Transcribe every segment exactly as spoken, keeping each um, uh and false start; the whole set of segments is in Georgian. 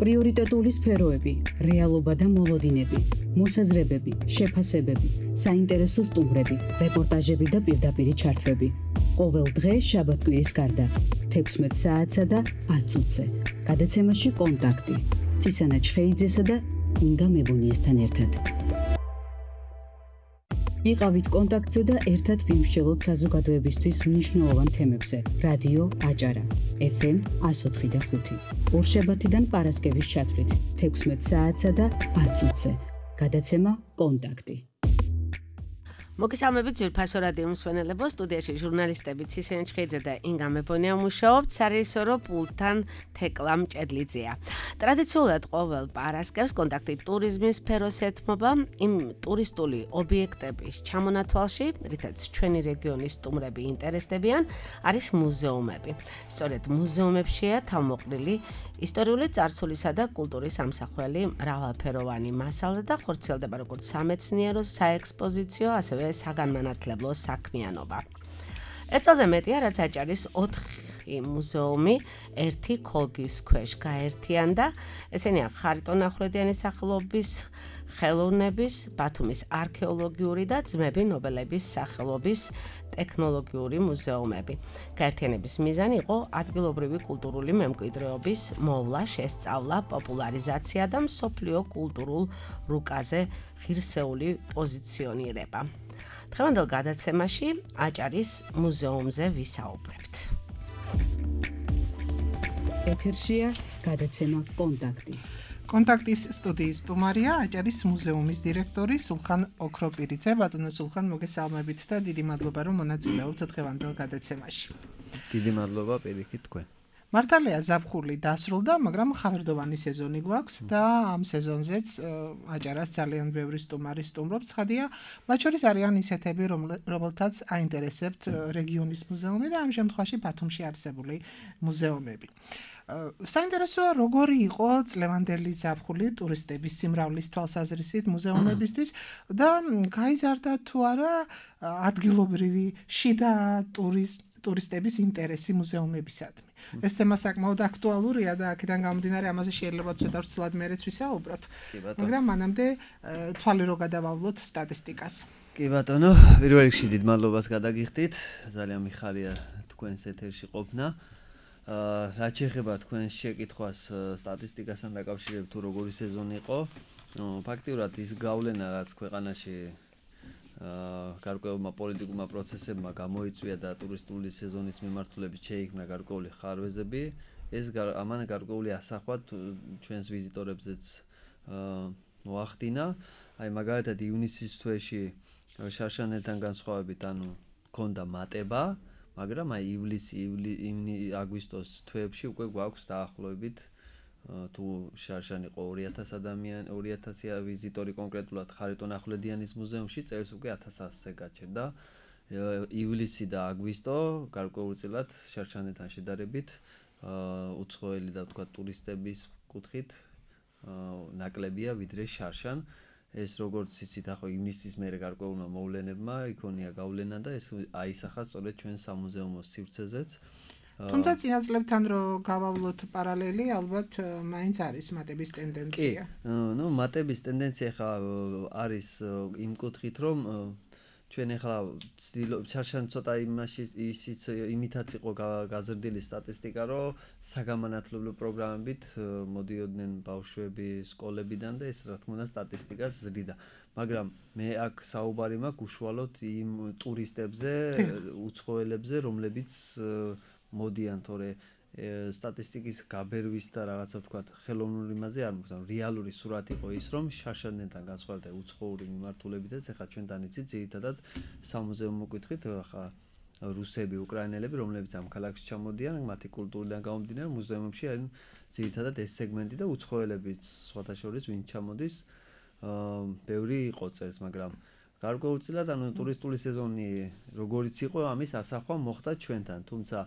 პრიორიტეტული სფეროები, რეალობა და მოლოდინები, მოსაზრებები, შეფასებები, საინტერესო სტუმრები, რეპორტაჟები და პირდაპირი ჩართვები. ყოველ დღე შაბათ-კვირის გარდა, თექვსმეტ საათსა და ათ წუთზე. გადაცემაში კონტაქტი. ცისანა ჩხეიძესა და ინგა მებონიესთან ერთად. იყავით კონტაქტზე და ერთად ვიმსჯელოთ საზოგადოებისთვის მნიშვნელოვან თემებზე. რადიო აჭარა, ეფ ემ εκατო ოთხი და ხუთი. ორშაბათიდან პარასკევის ჩათვლით, თექვსმეტ საათსა და ათ წუთზე. გადაცემა კონტაქტი. მოგესალმებით ძვირფასო რადიო მსმენელებო, სტუდიაში ჟურნალისტები ცისანა ჩხეიძე და ინგა მებონია მუშაობთ, სარეჟისორო პულტთან თეკლა მჭედლიძეა. ტრადიციულად ყოველ პარასკევს კონტაქტი ტურიზმის სფეროს ეთმობა იმ ტურისტული ობიექტების ჩამონათვალში, რითაც ჩვენი რეგიონის სტუმრები ინტერესდებიან, არის მუზეუმები. სწორედ მუზეუმებშია თავმოყრილი ისტორიული წარსულისა და კულტურის ამსახველი მრავალფეროვანი მასალა და ხორციელდება როგორც სამეცნიერო, საექსპოზიციო, ასევე საგანმანათლებლო საქმიანობა. ერთ წელზე მეტია, რაც აჭარის ოთხი მუზეუმი ერთი ქოლგის ქვეშ გაერთიანდა. ესენია ხარიტონ ახვლედიანის სახელობის ხელოვნების, ბათუმის არქეოლოგიური და ძმები ნობელების სახელობის ტექნოლოგიური მუზეუმები. გაერთიანების მიზანი იყო ადგილობრივი კულტურული მემკვიდრეობის მოვლა, შესწავლა, პოპულარიზაცია და მსოფლიო კულტურულ რუკაზე ღირსეული პოზიციონირება. დღევანდელ გადაცემაში აჭარის მუზეუმზე ვისაუბრებთ. ეთერშია გადაცემა კონტაქტი. კონტაქტის სტუდიის სტუმარია აჭარის მუზეუმის დირექტორი სულხან ოქროპირიძე. ბატონო სულხან, მოგესალმებით და დიდი მადლობა, რომ მონაწილეობთ დღევანდელ გადაცემაში. დიდი მადლობა პირიქით თქვენ. მართალია ზაფხული დასრულდა, მაგრამ ხავერდოვანი სეზონი გვაქვს და ამ სეზონზეც აჭარას ძალიან ბევრი სტუმარი სტუმრობს. ცხადია, მათ შორის არიან ისეთები, რომელთაც აინტერესებთ რეგიონის მუზეუმი და ამ შემთხვევაში ბათუმში არსებული მუზეუმები. საინტერესოა, როგორი იყო წლევანდელი ზაფხული ტურისტების სიმრავლის თვალსაზრისით მუზეუმებისთვის და გაიზარდა თუ არა ადგილობრივი შიდა ტურისტების ინტერესი მუზეუმებისადმი. ეს თემა საკმაოდ აქტუალურია და აქედან გამომდინარე ამაზე შეიძლება ცოტა ვრცლად მერეც ვისაუბროთ. მაგრამ მანამდე თვალი რო გადავავლოთ სტატისტიკას. კი ბატონო, პირველ რიგში დიდ მადლობას გადაგიხდით. ძალიან მიხარია თქვენს ეთერში ყოფნა. რაც შეეხება თქვენს შეკითხვას სტატისტიკასთან დაკავშირებით, თუ როგორი სეზონი იყო, ფაქტიურად ის გავლენა, რაც ქვეყანაში გარკვეულმა პოლიტიკურმა პროცესებმა გამოიწვია და ტურისტული სეზონის მიმართულებით შეიქმნა გარკვეული ხარვეზები, ეს ამან გარკვეული ასახვა ჩვენს ვიზიტორებზეც მოახდინა. აი მაგალითად ივნისის თვეში შარშანელთან განსხვავებით, ანუ ჰქონდა მატება, მაგრამ აი ივლისი, აგვისტოს თვეებში უკვე გვაქვს დაახლოებით თუ შარშან იყო ორი ათასი ადამიანი, ორი ათასი ვიზიტორი კონკრეტულად ხარიტონ ახვლედიანის მუზეუმში, წელს უკვე ათას ასზე გაჩერდა. ივლისი და აგვისტო გარკვეულწილად შარშანელთან შედარებით უცხოელი და თქვა ტურისტების კუთხით ნაკლებია ვიდრე შარშან. ეს როგორც იცით, ახლა ივნისის მერე გარკვეულმა მოვლენებმა იქონია გავლენა და ეს აისახა სწორედ ჩვენ სამუზეუმო სივრცეზეც. თუმცა წინა წლებთან რო გავავლოთ პარალელი, ალბათ მაინც არის მატების ტენდენცია. კი, ნუ მატების ტენდენცია ხა არის იმ კუთხით, რომ ჩვენ ახლა შარშან ცოტა იმაში ისიც იმითაც იყო გაზრდილი სტატისტიკა, რომ საგანმანათლებლო პროგრამებით მოდიოდნენ ბავშვები სკოლებიდან და ეს რა თქმა უნდა სტატისტიკას ზრდიდა. მაგრამ მე აქ საუბარი მაქვს უშუალოდ იმ ტურისტებზე, უცხოელებზე, რომლებიც მოდიან, თორე სტატისტიკის გაბერვის და რაღაცა ვთქვათ ხელოვნური იმაზე არ მოხდა. რეალური სურათი იყო ის, რომ შარშანელთან განსხვავებით უცხოური მიმართულებითაც ახლა ჩვენთან იცით ძირითადად სამუზეუმო კუთხით ახლა რუსები, უკრაინელები, რომლებიც ამ ქალაქში ჩამოდიან, მათი კულტურიდან გამომდინარე მუზეუმებში არის ძირითადად ეს სეგმენტი და უცხოელებიც სხვათა შორის ვინ ჩამოდის, ბევრი იყო წელს, მაგრამ გარკვეულწილად ანუ ტურისტული სეზონი როგორიც იყო, ამის ასახვა მოხდა ჩვენთან, თუმცა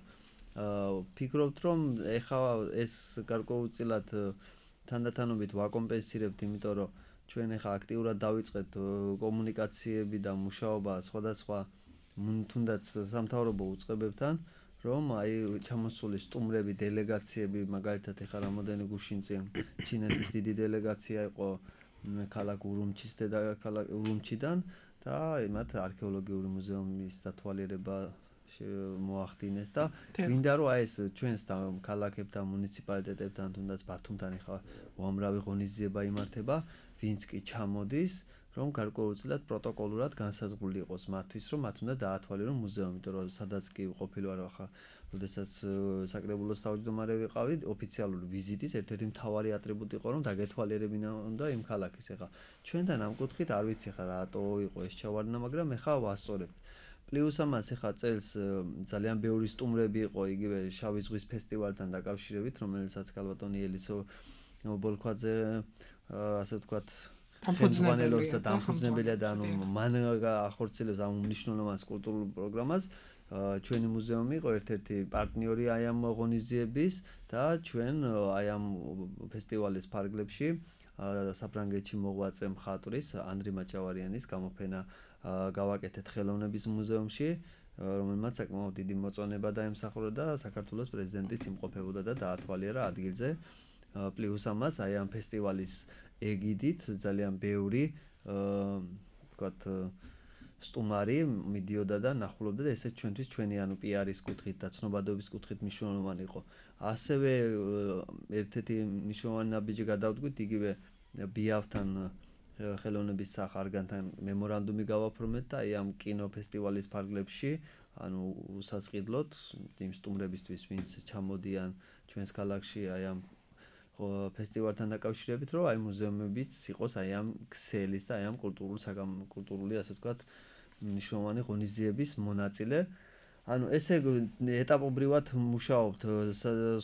ფიქრობთ, რომ ეხლა ეს გარკვეულწილად თანდათანობით ვაკომპენსირებთ, იმიტომ რომ ჩვენ ეხლა აქტიურად დავიწყეთ კომუნიკაციები და მუშაობა სხვადასხვა თუნდაც სამთავრობო უწყებებთან, რომ აი ჩამოსული სტუმრები, დელეგაციები, მაგალითად ეხლა რამოდენი გუშინ წინ ჩინეთის დიდი დელეგაცია იყო ქალაქ ურუმჩის დედაქალაქ ურუმჩიდან და მათ არქეოლოგიური მუზეუმის დათვალიერება მოახდინეს და გვინდა რომ აი ეს ჩვენს ქალაქებთან, მუნიციპალიტეტებთან, თუნდაც ბათუმთან ეხლა უამრავი ღონისძიება იმართება, ვინც კი ჩამოდის, რომ გარკვეულწილად პროტოკოლურად განსაზღვრული იყოს მათთვის, რომ მათ უნდა დაათვალიერონ მუზეუმი, იმიტომ რომ სადაც კი ყოფილი ვარ ახლა, როდესაც საკრებულოს თავმჯდომარე ვიყავი, ოფიციალური ვიზიტის ერთ-ერთი მთავარი ატრიბუტი იყო, რომ დაგეთვალიერებინა უნდა იმ ქალაქის. ეხლა ჩვენთან ამ კუთხით არ ვიცი ხა რატო იყო ეს ჩავარდნა, მაგრამ ეხლა ვასწორებთ. პლუს ამას ეხლა წელს ძალიან ბევრი სტუმრები იყო იგივე შავი ზღვის ფესტივალთან დაკავშირებით, რომელსაც ქალბატონი ელისო ბოლქვაძე ასე ვთქვათ ხელმძღვანელობს და დამფუძნებელია და ანუ მან ახორციელებს ამ მნიშვნელოვან კულტურულ პროგრამას. ჩვენი მუზეუმი იყო ერთ-ერთი პარტნიორი აი ამ ღონისძიების და ჩვენ აი ამ ფესტივალის ფარგლებში საფრანგეთში მოღვაწე მხატვრის ანდრი მაჭავარიანის გამოფენა გავაკეთეთ ხელოვნების მუზეუმში, რომელმაც საკმაოდ დიდი მოწონება დაემსახურა და საქართველოს პრეზიდენტიც იმყოფებოდა და დაათვალიერა ადგილზე. პლუს ამას აი ამ ფესტივალის ეგიდით ძალიან ბევრი ვთქვათ სტუმარი მიდიოდა და ნახულობდა და ესეც ჩვენთვის ჩვენი ანუ პიარის კუთხით და ცნობადობის კუთხით მნიშვნელოვანი იყო. ასევე ერთ-ერთი მნიშვნელოვანი ნაბიჯი გადავდგით იგივე ბიავთან ხელოვნების სახარგანთან მემორანდუმი გავაფორმეთ და აი ამ კინოფესტივალის ფარგლებში ანუ უსასყიდლოდ იმ სტუმრებისთვის ვინც ჩამოდიან ჩვენს ქალაქში აი ამ ფესტივალთან დაკავშირებით, რომ აი მუზეუმებიც იყოს აი ამ ქსელის და აი ამ კულტურულ კულტურული ასე ვთქვათ მნიშვნელოვანი ღონისძიების მონაწილე. ანუ ესე ეტაპობრივად მუშაობთ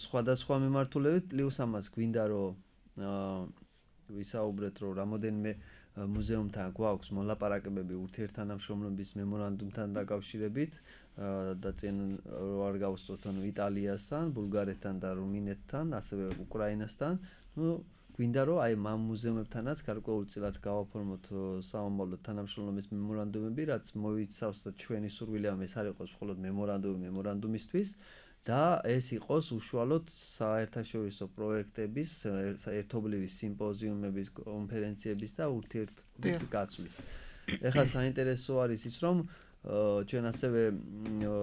სხვადასხვა მიმართულებით, პლუს ამას გვინდა რომ ვისაუბრეთ რომ რამოდენიმე მუზეუმთან გვაქვს მოლაპარაკებები ურთიერთთანამშრომლობის მემორანდუმთან დაკავშირებით და წინ არ გავუსწორთ ანუ იტალიასთან, ბულგარეთთან და რუმინეთთან, ასევე უკრაინასთან. ნუ გვინდა რომ აი ამ მუზეუმებთანაც გარკვეულწილად გავაფორმოთ სამომავლოდ თანამშრომლობის მემორანდუმები, რაც მოიცავს და ჩვენი სურვილია ეს არ იყოს მხოლოდ მემორანდუმი მემორანდუმისთვის და ეს იყოს უშუალოდ საერთაშორისო პროექტების, ერთობლივი სიმპოზიუმების, კონფერენციების და ურთიერთობის გაცვლის. ეხლა საინტერესო არის ის, რომ ჩვენ ასევე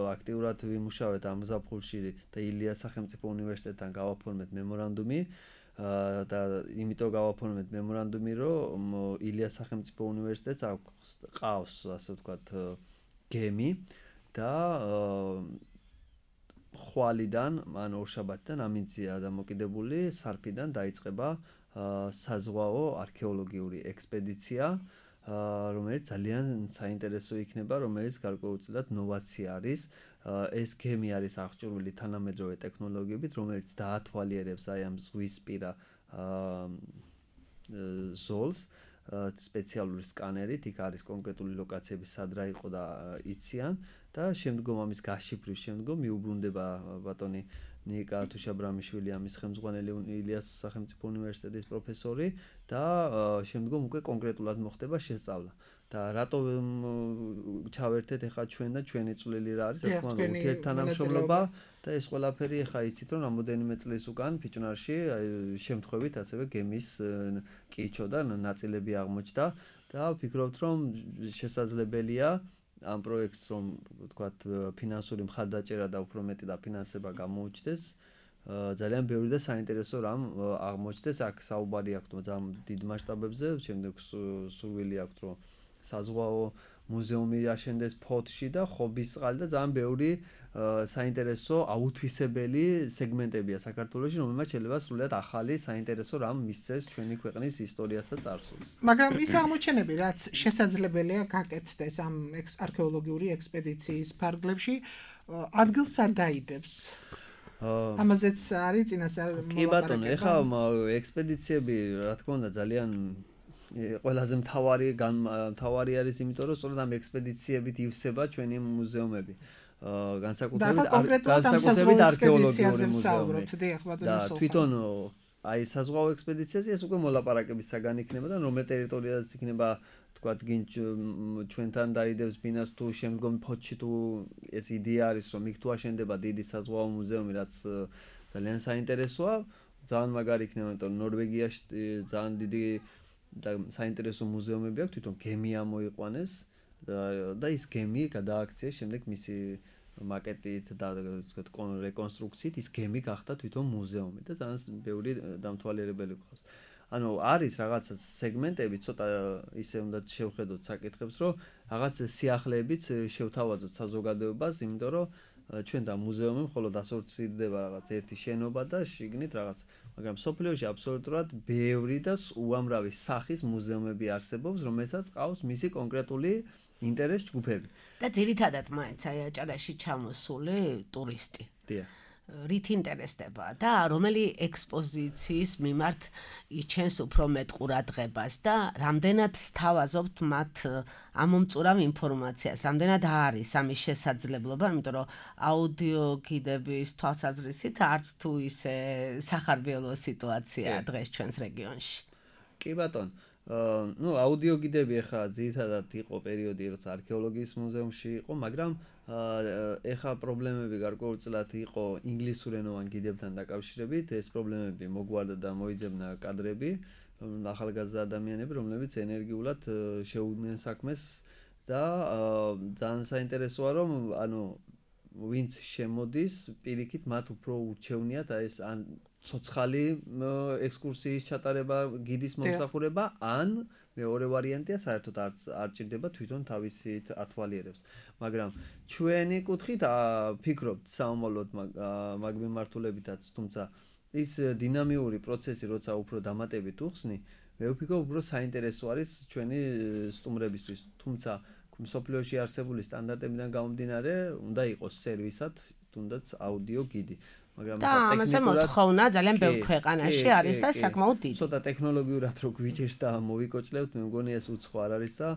აქტიურად ვიმუშავეთ ამ ზაფხულში და ილიას სახელმწიფო უნივერსიტეტთან გავაფორმეთ მემორანდუმი და იმიტომ გავაფორმეთ მემორანდუმი, რომ ილიას სახელმწიფო უნივერსიტეტს ყავს ასე ვთქვათ გემი და ხვალიდან, ან ორშაბათიდან ამინდია დამოკიდებული სარფიდან დაიწყება საზღვაო არქეოლოგიური ექსპედიცია, რომელიც ძალიან საინტერესო იქნება, რომელიც გარკვეულწილად ნოვაცია არის. ეს გემი არის აღჭურვილი თანამედროვე ტექნოლოგიებით, რომელიც დაათვალიერებს აი ამ ზღვისპირა ზოლს სპეციალური სკანერით, იქ არის კონკრეტული ლოკაციები სად რა იყო და იციან და შემდგომ ამის გაშიფვრის შემდგომ მიუბრუნდება ბატონი ნიკა თუშაბრამიშვილი, ამის ხელმძღვანელი ილიას სახელმწიფო უნივერსიტეტის პროფესორი და შემდგომ უკვე კონკრეტულად მოხდება შესწავლა. და რატო ჩავერთეთ ახლა ჩვენ და ჩვენი წვლილი რა არის, რა თქმა უნდა, ურთიერთთანამშრომლობა და ეს ყველაფერი ახლა იცით რომ რამოდენიმე წლის უკან ფიჭვნარში შემთხვევით ასევე გემის კიჩო და ნაწილები აღმოჩნდა და ვფიქრობთ რომ შესაძლებელია ამ პროექტს რომ ვთქვათ ფინანსური მხარდაჭერა და უფრო მეტი დაფინანსება გამოუჩნდეს, ძალიან ბევრი და საინტერესო რამ აღმოჩნდეს. აქ საუბარი აქვს ძალიან დიდ მასშტაბებზე, შემდეგ სურვილი აქვს რომ საზღვაო მუზეუმი აშენდეს ფოთში და ხობისწყალი და ძალიან ბევრი საინტერესო აუთვისებელი სეგმენტებია საქართველოში, რომელმაც შეიძლება სრულიად ახალი საინტერესო რამ მისცეს ჩვენი ქვეყნის ისტორიას და წარსულს. მაგრამ ის აღმოჩენები, რაც შესაძლებელია გაკეთდეს ამ არქეოლოგიური ექსპედიციის ფარგლებში, ადგილს არ დაიდებს. ამაზეც არის წინასწარ მოლაპარაკება. კი ბატონო, ეხლა ექსპედიციები, რა თქმა უნდა, ძალიან ყველაზე მთავარი მთავარი არის, იმიტომ რომ სწორედ ამ ექსპედიციებით ივსება ჩვენი მუზეუმები. განსაკუთრებით განსაკუთრებით არქეოლოგიური მუზეუმი. და თვითონ აი საზღვაო ექსპედიციაზე ეს უკვე მოლაპარაკების საგანი იქნება და რომელ ტერიტორიაზეც იქნება თქვათ გინ ჩვენთან დაიდებს ბინას თუ შემდგომ ფოთში თუ ეს იდეა არის რომ იქ თუ აშენდება დიდი საზღვაო მუზეუმი რაც ძალიან საინტერესოა ძალიან მაგარი იქნება იმიტომ რომ ნორვეგიაში ძალიან დიდი და საინტერესო მუზეუმები აქვს თვითონ გემი ამოიყვანეს და ის გემი გადააქციეს შემდეგ მისი მაკეტით და ვთქვათ რეკონსტრუქციით ის გემი გახდა თვითონ მუზეუმი და ძალიან ბევრი დამთვალიერებელი ყავს. ანუ არის რაღაცა სეგმენტები ცოტა ისე უნდა შევხედოთ საკითხებს რომ რაღაც სიახლეებიც შევთავაზოთ საზოგადოებას იმიტომ რომ ჩვენ და მუზეუმი მხოლოდ ასოცირდება რაღაც ერთი შენობა და შიგნით რაღაც მაგრამ სოფლიოში აბსოლუტურად ბევრი და უამრავი სახის მუზეუმები არსებობს რომელსაც ყავს მისი კონკრეტული ინტერეს ჯგუფები და ძირითადად მაინც აი აჭარაში ჩამოსული ტურისტი დიახ რით ინტერესდება და რომელი ექსპოზიციის მიმართ იჩენს უფრო მეტ ყურადღებას და რამდენად სთავაზობთ მათ ამომწურავ ინფორმაციას, რამდენად არის ამის შესაძლებლობა, იმიტომ რომ აუდიო გიდების თვალსაზრისით არც თუ ისე სახარბიელო სიტუაციაა დღეს ჩვენს რეგიონში. კი ბატონო ну აუდიო გიდები ახლა ძირითადად იყო პერიოდი როცა არქეოლოგიის მუზეუმში იყო მაგრამ ეხა პრობლემები გარკვეულწილად იყო ინგლისურენოვან გიდებთან დაკავშირებით ეს პრობლემები მოგვარდა და მოიძებნა კადრები ახალგაზრდა ადამიანები რომლებიც ენერგიულად შეუდგნენ საქმეს და ძალიან საინტერესოა რომ ანუ ვინც შემოდის პირიქით მათ უფრო ურჩევნიათ აი ეს ან ცოცხალი ექსკურსიის ჩატარება გიდის მომსახურება ან მეორე ვარიანტია საერთოდ არც არ ჭირდება თვითონ თავისით ათვალიერებს მაგრამ ჩვენი კუთხით ფიქრობთ საომოლოდ მაგ მიმართულებითაც თუმცა ის დინამიური პროცესი როცა უფრო დამატებით უხსნი მე ვფიქრობ უფრო საინტერესო არის ჩვენი სტუმრებისთვის თუმცა მსოფლიოში არსებული სტანდარტებიდან გამომდინარე უნდა იყოს სერვისად თუნდაც აუდიო გიდი მაგრამ და ამაზე მოთხოვნა ძალიან ბევრ ქვეყანაში არის და საკმაოდ დიდი. ცოტა ტექნოლოგიურად რო გვიჭირს და მოვიკოჭლებთ, მე მგონი ეს უცხო არ არის და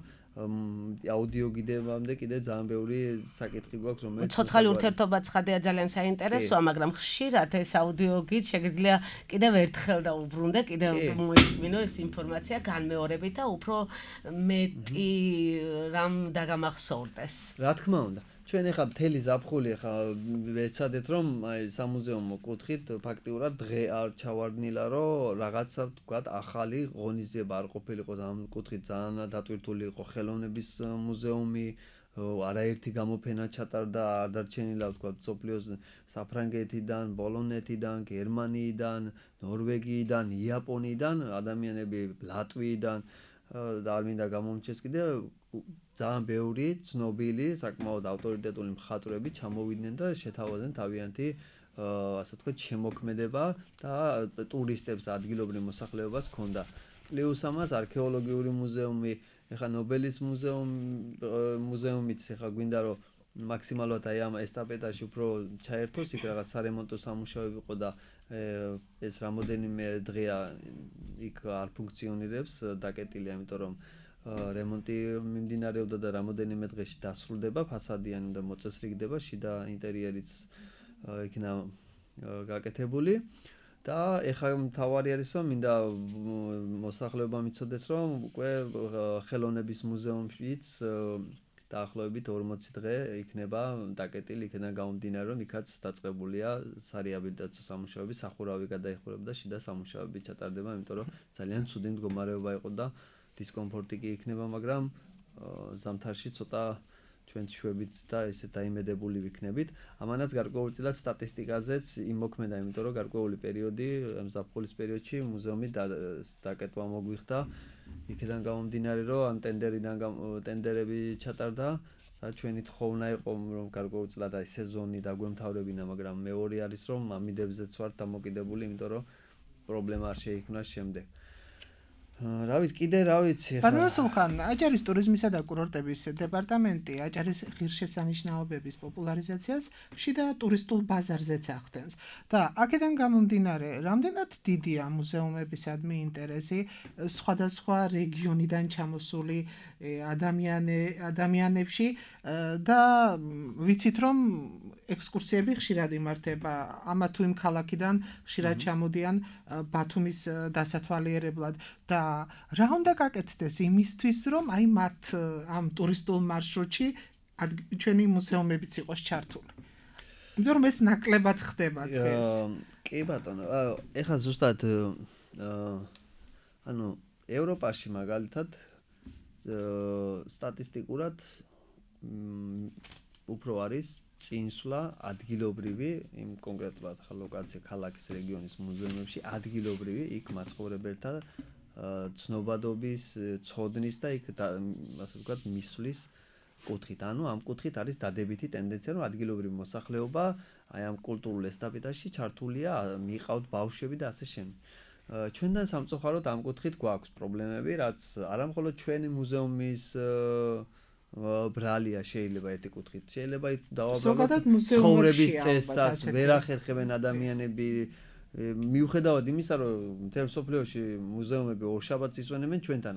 აუდიო გიდებამდე კიდე ძალიან ბევრი საკითხი გვაქვს რომელიც ცოცხალი ურთიერთობა ცხადია ძალიან საინტერესოა, მაგრამ ხშირად ეს აუდიო გიდ შეგიძლია კიდევ ერთხელ და უბრუნდე, კიდევ მოისმინო ეს ინფორმაცია განმეორებით და უფრო მეტი რამ დაგამახსოვრდეს. რა თქმა უნდა ჩვენ ახლა მთელი ზაფხული ახლა ვეცადეთ რომ აი სამუზეუმო კუთხით ფაქტიურად დღე არ ჩავარდნილა რომ რაღაცა ვთქვათ ახალი ღონისძიება არ ყოფილიყო ამ კუთხით ძალიან დატვირთული იყო ხელოვნების მუზეუმი არაერთი გამოფენა ჩატარდა არ დარჩენილა ვთქვათ სოფლიოს საფრანგეთიდან პოლონეთიდან გერმანიიდან ნორვეგიიდან იაპონიიდან ადამიანები ლატვიიდან და არ მინდა გამომჩეს კიდე ძალიან ბევრი ცნობილი საკმაოდ ავტორიტეტული მხატვრები ჩამოვიდნენ და შეთავაზდნენ თავიანთი ასე ვთქვათ შემოქმედება და ტურისტებს და ადგილობრივ მოსახლეობას ჰქონდა. პლუს ამას არქეოლოგიური მუზეუმი, ეხლა ნობელის მუზეუმი მუზეუმიც ეხლა გვინდა რომ მაქსიმალურად აი ამ ესტაფეტაში უფრო ჩაერთოს, იქ რაღაც სარემონტო სამუშაოები იყო და ეს რამოდენიმე დღეა იქ არ ფუნქციონირებს, დაკეტილია, იმიტომ რომ რემონტი მიმდინარეობდა და რამოდენიმე დღეში დასრულდება, ფასადიანი და მოწესრიგდება, შიდა ინტერიერიც იქნა გაკეთებული და ეხლა მთავარი არის რომ მინდა მოსახლეობამ იცოდეს რომ უკვე ხელოვნების მუზეუმშიც დაახლოებით ორმოცი დღე იქნება დაკეტილი, იქიდან გამომდინარე რომ იქაც დაწყებულია სარეაბილიტაციო სამუშაოები, სახურავი გადაიხურება და შიდა სამუშაოები ჩატარდება, იმიტომ რომ ძალიან ცუდი მდგომარეობა იყო და დისკომფორტი კი იქნება, მაგრამ ზამთარში ცოტა ჩვენც შვებით და ესე დაიმედებული ვიქნებით. ამანაც გარკვეულწილად სტატისტიკაზეც იმოქმედა, იმიტომ რომ გარკვეული პერიოდი, ზაფხულის პერიოდში მუზეუმი დაკეტვა მოგვიხდა. იქიდან გამომდინარე, რომ ამ ტენდერიდან ტენდერები ჩატარდა და ჩვენი თხოვნა იყო, რომ გარკვეულწილად აი სეზონი დაგვემთავრებინა, მაგრამ მეორე არის, რომ ამიდებზეც ვართ დამოკიდებული, იმიტომ რომ პრობლემა არ შეიქმნას შემდეგ. რა ვიცი, კიდე რა ვიცი ხა. ბატონო სულხან, აჭარის ტურიზმისა და კურორტების დეპარტამენტი აჭარის ღირსშესანიშნაობების პოპულარიზაციას შიდა ტურისტულ ბაზარზეც ახდენს. და აქედან გამომდინარე, რამდენად დიდია მუზეუმებისადმი ინტერესი სხვადასხვა რეგიონიდან ჩამოსული ადამიანი ადამიანებში და ვიცით რომ ექსკურსიები ხშირად იმართება ამა თუ იმ ქალაქიდან ხშირად ჩამოდიან ბათუმის დასათვალიერებლად და რა უნდა გაკეთდეს იმისთვის, რომ აი მათ ამ ტურისტულ მარშრუტში ჩვენი მუზეუმებიც იყოს ჩართული. იმიტომ რომ ეს ნაკლებად ხდება დღეს. კი ბატონო, ეხლა ზუსტად ანუ ევროპაში მაგალითად სტატისტიკურად უფრო არის წინსვლა ადგილობრივი იმ კონკრეტულად ახლა ლოკაცია ქალაქის რეგიონის მუზეუმებში ადგილობრივი იქ მაცხოვრებელთა ცნობადობის, ცოდნის და იქ ასე ვთქვათ მისვლის კუთხით. ანუ ამ კუთხით არის დადებითი ტენდენცია, რომ ადგილობრივი მოსახლეობა აი ამ კულტურულ ესტაფეტაში ჩართულია, მიყავთ ბავშვები და ასე შემდეგ. ჩვენთან სამწუხაროდ ამ კუთხით გვაქვს პრობლემები, რაც არა მხოლოდ ჩვენი მუზეუმის ბრალია შეიძლება ერთი კუთხით. შეიძლება დავაბალოთ ცხოვრების წესსაც, ვერ ახერხებენ ადამიანები. მიუხედავად იმისა, რომ მთელ მსოფლიოში მუზეუმები ორშაბათს ისვენებენ, ჩვენთან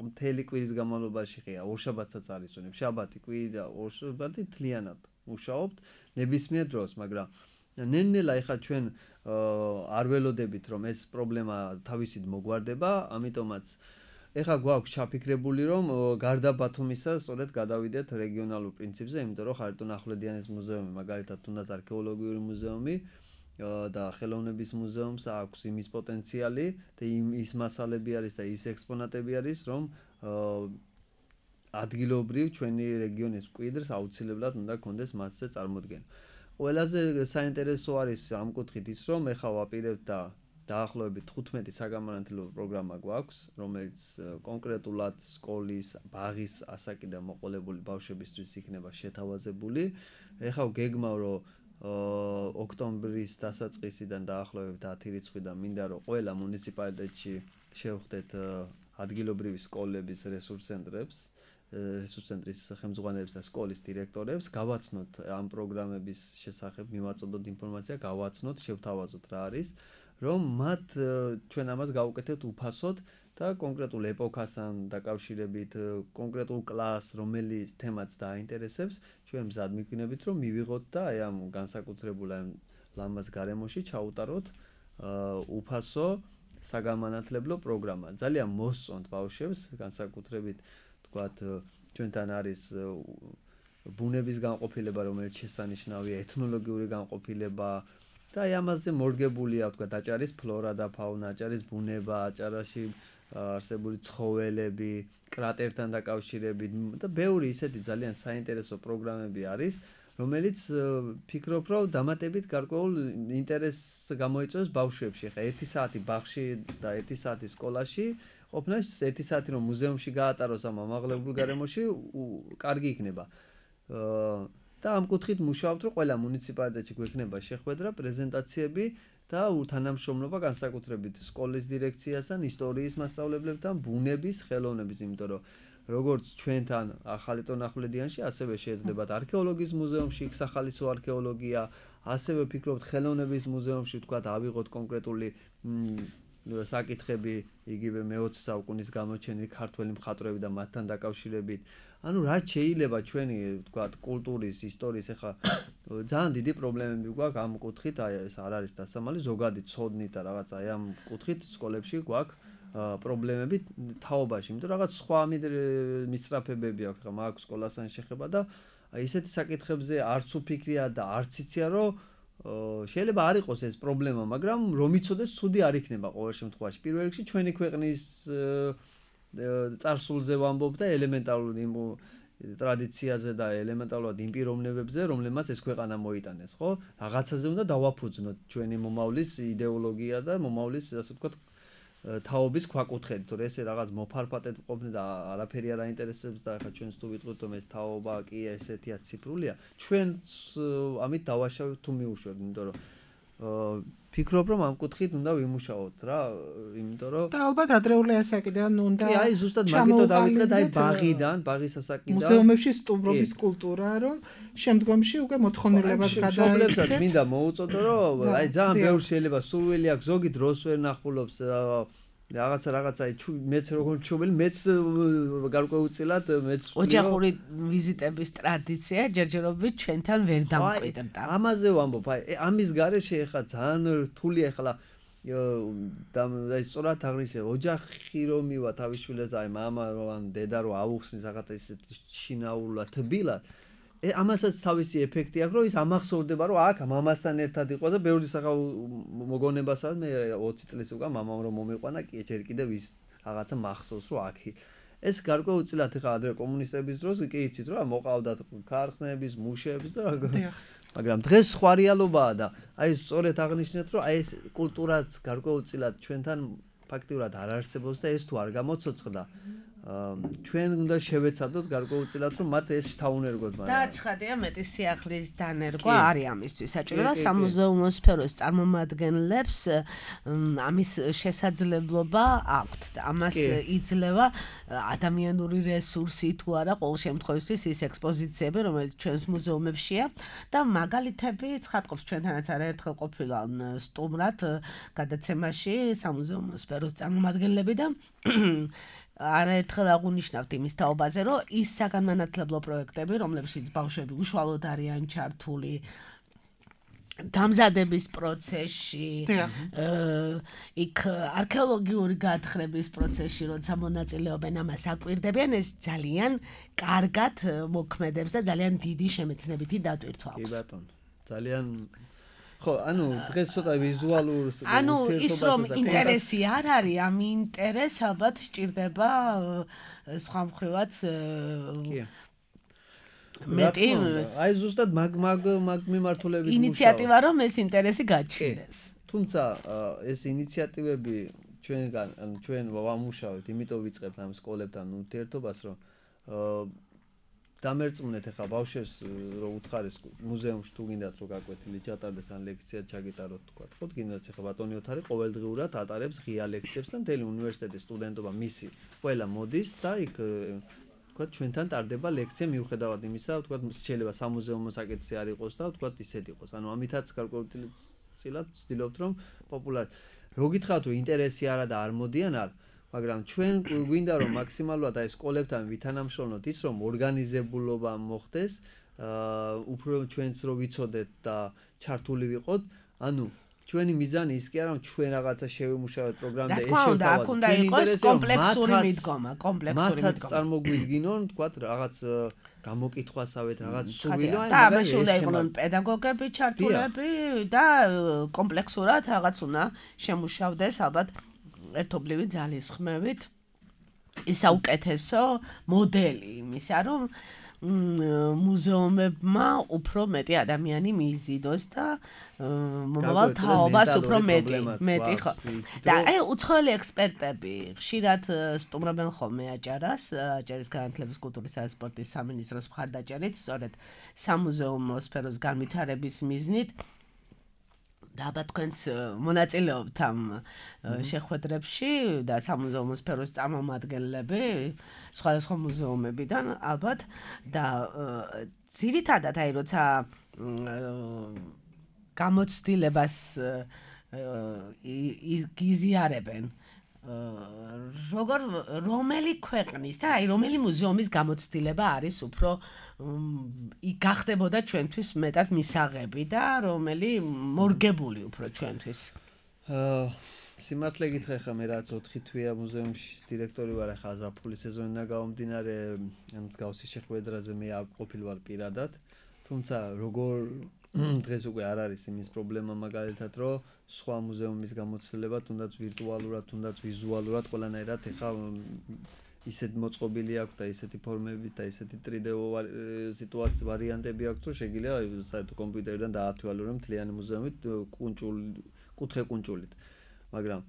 მთელი კვირის განმავლობაში ხია ორშაბათსაც არ ისვენებს. შაბათი, კვირა, ორშაბათი მთლიანად მუშაობთ ნებისმიერ დროს, მაგრამ ნელ-ნელა ეხლა ჩვენ არ ველოდებით, რომ ეს პრობლემა თავისით მოგვარდება, ამიტომაც ეხლა გვაქვს ჩაფიქრებული, რომ გარდა ბათუმისა, სწორედ გადავიდეთ რეგიონალურ პრინციპზე, იმიტომ რომ ხარიტონ-ახვლედიანის მუზეუმი, მაგალითად, თუნდაც არქეოლოგიური მუზეუმი და ხელოვნების მუზეუმს აქვს იმის პოტენციალი და ის მასალები არის და ის ექსპონატები არის, რომ ადგილობრივ ჩვენი რეგიონის მკვიდრს აუცილებლად უნდა კონდეს მასზე წარმოდგენა. ყველაზე საინტერესო არის ამ კუთხით ის, რომ ეხლა ვაპირებთ და დაახლოებით თხუთმეტი საგამანათლებლო პროგრამა გვაქვს, რომელიც კონკრეტულად სკოლის, ბაღის ასაკიდან მოყოლებული ბავშვებისთვის იქნება შეთავაზებული. ეხლა გეგმავ, რომ ოქტომბრის დასაწყისიდან დაახლოებით ათი რიცხვიდან მინდა რომ ყველა მუნიციპალიტეტში შევხვდეთ ადგილობრივი სკოლების რესურს ცენტრებს, რესურს ცენტრის ხელმძღვანელებს და სკოლის დირექტორებს, გავაცნოთ ამ პროგრამების შესახებ, მივაწოდოთ ინფორმაცია, გავაცნოთ, შევთავაზოთ რა არის, რომ მათ ჩვენ ამას გავუკეთებთ უფასოდ და კონკრეტულ ეპოქასთან დაკავშირებით, კონკრეტულ კლასს, რომელიც თემაც დააინტერესებს, ჩვენ მზად მიგვინებით, რომ მივიღოთ და აი ამ განსაკუთრებულ ამ ლამაზ გარემოში ჩაუტაროთ უფასო საგამანათლებლო პროგრამა. ძალიან მოსწონთ ბავშვებს, განსაკუთრებით ვთქვათ, ჩვენთან არის ბუნების განყოფილება, რომელიც შესანიშნავია, ეთნოლოგიური განყოფილება და აი ამაზე მორგებულია, ვთქვათ, აჭარის ფლორა და ფაუნა, აჭარის ბუნება, აჭარაში არსებული ცხოველები, კრატერთან დაკავშირებით და ბევრი ისეთი ძალიან საინტერესო პროგრამები არის, რომელიც ფიქრობ, რომ დამატებით გარკვეულ ინტერესს გამოიწვევს ბავშვებში. ხა ერთი საათი ბაღში და ერთი საათი სკოლაში ყოფნა, ერთი საათი რომ მუზეუმში გაატაროს ამ ამაღლებულ გარემოში, კარგი იქნება. და ამ კუთხით მუშაობთ, რომ ყველა მუნიციპალიტეტში გვექნება შეხვედრა, პრეზენტაციები და თანამშრომლობა განსაკუთრებით სკოლის დირექციასთან, ისტორიის მასწავლებლებთან, ბუნების, ხელოვნების, იმიტომ რომ როგორც ჩვენთან ხარიტონ-ახვლედიანში, ასევე შეეძლებათ არქეოლოგიის მუზეუმში, იქ სახალისო არქეოლოგია, ასევე ვფიქრობთ ხელოვნების მუზეუმში, ვთქვათ, ავიღოთ კონკრეტული საკითხები, იგივე მეოცე საუკუნის გამოჩენილი ქართველი მხატვრები და მათთან დაკავშირებით. ანუ რაც შეიძლება ჩვენი, ვთქვათ, კულტურის, ისტორიის, ეხლა ძალიან დიდი პრობლემები გვაქვს ამ კუთხით, აი ეს არ არის დასამალი, ზოგადი ცოდნით და რაღაც აი ამ კუთხით სკოლებში გვაქვს პრობლემები თაობაში, იმიტომ რაღაც სხვა მისწრაფებები აქვს, ხა მაქვს სკოლასთან შეხება და ისეთი საკითხებზე არც უფიქრია და არც იცია, რომ შეიძლება არ იყოს ეს პრობლემა, მაგრამ რომ იცოდეს, ცუდი არ იქნება ყოველ შემთხვევაში. პირველ რიგში ჩვენი ქვეყნის წარსულზე ვამბობ და ელემენტარულ იმ ტრადიციაზე და ელემენტარულად იმ პიროვნებებზე, რომლებმაც ეს ქვეყანა მოიტანეს, ხო? რაღაცაზე უნდა დავაფუძნოთ ჩვენი მომავლის იდეოლოგია და მომავლის, ასე ვთქვათ, თაობის ქვაკუთხედი, თორე ესე რაღაც მოფარფატეთ ყოფნა და არაფერი არ აინტერესებს და ახლა ჩვენს თუ ვიტყვით, რომ ეს თაობა კი ესეთია ციფრულია, ჩვენც ამით დავაშავებთ თუ მიუშვებთ, იმიტომ რომ ფიქრობ, რომ ამ კუთხით უნდა ვიმუშაოთ რა, იმიტომ რომ და ალბათ ადრეული ასაკიდან უნდა კი, აი ზუსტად მაგითო დავიწყეთ, აი ბაღიდან, ბაღის ასაკიდან მუზეუმებში სტუმრობის კულტურა, რომ შემდგომში უკვე მოთხოვნილებას გადაიქცეთ. მინდა მოუწოდო, რომ აი ძალიან ბევრი შეიძლება სურვილი აქვს, ზოგი დროს ვერ ნახულობს რაღაცა რაღაცა მეც როგორ ჩუბილი მეც გარკვეულწილად მეც ოჯახური ვიზიტების ტრადიცია ჯერჯერობით ჩვენთან ვერ დამკვიდრდა. ამაზე ვამბობ, აი ამის გარეშე ახლა ძალიან რთულია ახლა და აი სწორად აღნიშნე ოჯახი რომ მივა თავის შვილებს აი მამა რო ან დედა რო აუხსნის რაღაც ისეთ შინაურულად თბილად ამასაც თავისი ეფექტი აქვს რომ ის ამახსოვრდება რომ აქ მამასთან ერთად იყო და ბევრი სახა მოგონებასაც მე ოცი წლის უკან მამამ რომ მომიყვანა კი ჯერ კიდევ ის რაღაცა მახსოვს რომ აქ ეს გარკვეულწილად ეხა ადრე კომუნისტების დროს კი იცით რომ მოყავდათ ქარხნების მუშების და მაგრამ დღეს სხვა რეალობაა და აი სწორედ აღნიშნეთ რომ აი ეს კულტურაც გარკვეულწილად ჩვენთან ფაქტიურად არ არსებობს და ეს თუ არ გამოცოცხლდა ჩვენ უნდა შევეცადოთ გარკვეულწილად რომ მათ ეს შთაუნერგოთ მაგრამ და ცხადია მეტი სიახლის დანერგვა არის ამისთვის საჭირო და სამუზეუმო სფეროს წარმომადგენლებს ამის შესაძლებლობა აქვთ და ამას იძლევა ადამიანური რესურსი თუ არა ყოველ შემთხვევაში ის ექსპოზიციები რომელიც ჩვენს მუზეუმებშია და მაგალითები ცხადყოფს ჩვენთანაც არაერთხელ ყოფილა სტუმრად გადაცემაში სამუზეუმო სფეროს წარმომადგენლები და არაერთხელ აღუნიშნავთ იმის თაობაზე, რომ ის საგანმანათლებლო პროექტები, რომლებშიც ბავშვები უშუალოდ არიან ჩართული დამზადების პროცესში, იქ არქეოლოგიური გათხრების პროცესში, როცა მონაწილეობენ ამას აკვირდებიან, ეს ძალიან კარგად მოქმედებს და ძალიან დიდი შემეცნებითი დატვირთვა აქვს. კი ბატონო, ძალიან ხო, ანუ დღეს ცოტა ვიზუალურ ანუ ის რომ ინტერესი არ არის, ამ ინტერესს ალბათ სჭირდება სხვა მხრივაც მეტი აი ზუსტად მაგ მაგ მაგ მიმართულებით ინიციატივა რომ ეს ინტერესი გაჩნდეს. თუმცა ეს ინიციატივები ჩვენგან ანუ ჩვენ ვამუშავებთ, იმიტომ ვიწყებთ ამ სკოლებთან ურთიერთობას, რომ დამერწმუნეთ ახლა ბავშვებს რომ უთხარეს მუზეუმში თუ გინდათ რომ გაკვეთილი ჩატარდეს ან ლექცია ჩაგიტაროთ თქვა. ხო გინდათ ახლა ბატონი ოთარი ყოველდღიურად ატარებს ღია ლექციებს და მთელი უნივერსიტეტის სტუდენტობა მისი ყველა მოდის და იქ თქვა ჩვენთან ტარდება ლექცია მიუხედავად იმისა, თქვა შეიძლება სამუზეუმო საკითხი არ იყოს და თქვა ისეთ იყოს. ანუ ამითაც გარკვეულწილად ვცდილობთ რომ პოპულარ რო გითხრათ რომ ინტერესი არა და არ მოდიან არ მაგრამ ჩვენ გვინდა რომ მაქსიმალურად აი სკოლებთან ვითანამშრომლოთ ის რომ ორგანიზებულობა მოხდეს, უფრო ჩვენც რო ვიცოდეთ და ჩართული ვიყოთ, ანუ ჩვენი მიზანი ის კი არა რომ ჩვენ რაღაცა შევიმუშავოთ პროგრამაზე ეს შევთავაზოთ. აქ უნდა იყოს კომპლექსური მიდგომა, კომპლექსური მიდგომა. მათაც წარმოგვიდგინონ, თქვა რაღაც გამოკითხვასავეთ, რაღაც სურვილო და ამაში უნდა იყვნენ პედაგოგები ჩართულები და კომპლექსურად რაღაც უნდა შემუშავდეს ალბათ ერთობლივი ძალისხმევით ის საუკეთესო მოდელი იმისა, რომ მუზეუმებმა უფრო მეტი ადამიანი მიიზიდოს და მომავალ თაობას უფრო მეტი მეტი ხო. და აი უცხოელი ექსპერტები ხშირად სტუმრობენ ხოლმე აჭარას, აჭარის განათლების კულტურის და სპორტის სამინისტროს მხარდაჭერით, სწორედ სამუზეუმო სფეროს განვითარების მიზნით და ალბათ თქვენს მონაწილეობთ ამ შეხვედრებში და სამუზეუმო სფეროს წარმომადგენლები სხვადასხვა მუზეუმებიდან ალბათ და ძირითადად აი როცა გამოცდილებას გიზიარებენ როგორ რომელი ქვეყნის და აი რომელი მუზეუმის გამოცდილება არის უფრო გახდებოდა ჩვენთვის მეტად მისაღები და რომელი მორგებული უფრო ჩვენთვის. სიმართლე გითხრა ხა მე რაც ოთხი თვეა მუზეუმში დირექტორი ვარ, ახლა ზაფხულის სეზონიდან გამომდინარე ამ მსგავსი შეხვედრაზე მე არ ყოფილ ვარ პირადად, თუმცა როგორ დღეს უკვე არ არის იმის პრობლემა მაგალითად რომ სხვა მუზეუმის გამოცდილება თუნდაც ვირტუალურად, თუნდაც ვიზუალურად ყველანაირად ეხა ისეთ მოწყობილი აქვს და ისეთი ფორმები და ისეთი ტრიდეო სიტუაცია ვარიანტები აქვს რომ შეგიძლია საერთოდ კომპიუტერიდან დაათვალიერო მთლიანი მუზეუმი კუნჭული კუთხე კუნჭულით. მაგრამ